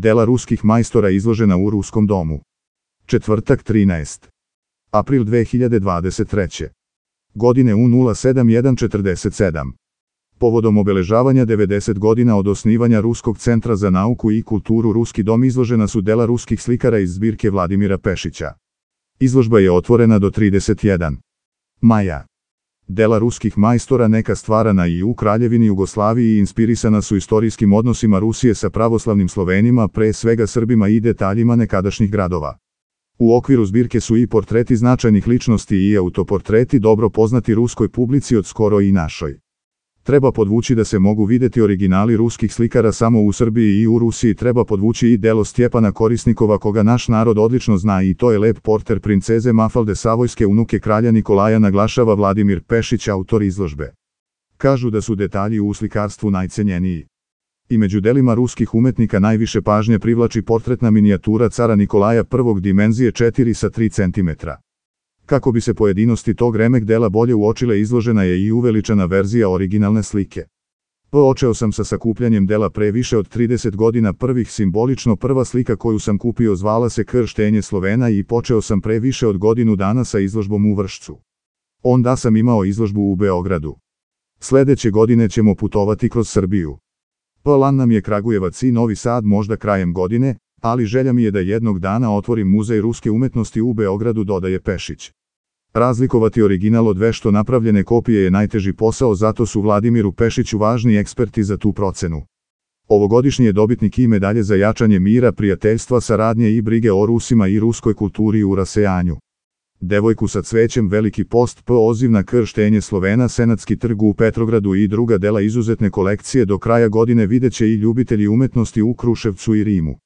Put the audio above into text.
Dela ruskih majstora izložena u Ruskom domu. Četvrtak 13. april 2023. godine u 07:147. Povodom obeležavanja 90 godina od osnivanja Ruskog centra za nauku i kulturu Ruski dom izložena su dela ruskih slikara iz zbirke Vladimira Pešića. Izložba je otvorena do 31. maja. Dela ruskih majstora neka stvarana i u Kraljevini Jugoslaviji i inspirisana su istorijskim odnosima Rusije sa pravoslavnim Slovenima, pre svega Srbima i detaljima nekadašnjih gradova. U okviru zbirke su i portreti značajnih ličnosti i autoportreti dobro poznati ruskoj publici od skoro i našoj. Treba podvući da se mogu videti originali ruskih slikara samo u Srbiji i u Rusiji. Treba podvući i delo Stjepana Korisnikova koga naš narod odlično zna i to je lep porter princeze Mafalde Savojske, unuke kralja Nikolaja, naglašava Vladimir Pešić, autor izložbe. Kažu da su detalji u slikarstvu najcenjeniji. I među delima ruskih umetnika najviše pažnje privlači portretna minijatura cara Nikolaja I dimenzije 4 sa 3 cm. Kako bi se pojedinosti tog remek dela bolje uočile, izložena je i uveličana verzija originalne slike. Počeo sam sa sakupljanjem dela pre više od 30 godina. Simbolično prva slika koju sam kupio zvala se Krštenje Slovena i počeo sam pre više od godinu dana sa izložbom u Vršcu. Onda sam imao izložbu u Beogradu. Sledeće godine ćemo putovati kroz Srbiju. Plan nam je Kragujevac i Novi Sad možda krajem godine, ali želja mi je da jednog dana otvorim muzej ruske umetnosti u Beogradu, dodaje Pešić. Razlikovati original od vešto napravljene kopije je najteži posao, zato su Vladimiru Pešiću važni eksperti za tu procenu. Ovogodišnji je dobitnik i medalje za jačanje mira, prijateljstva, saradnje i brige o Rusima i ruskoj kulturi u rasejanju. Devojku sa cvećem, Veliki post, poziv na Krštenje Slovena, Senatski trg u Petrogradu i druga dela izuzetne kolekcije do kraja godine videće i ljubitelji umetnosti u Kruševcu i Rimu.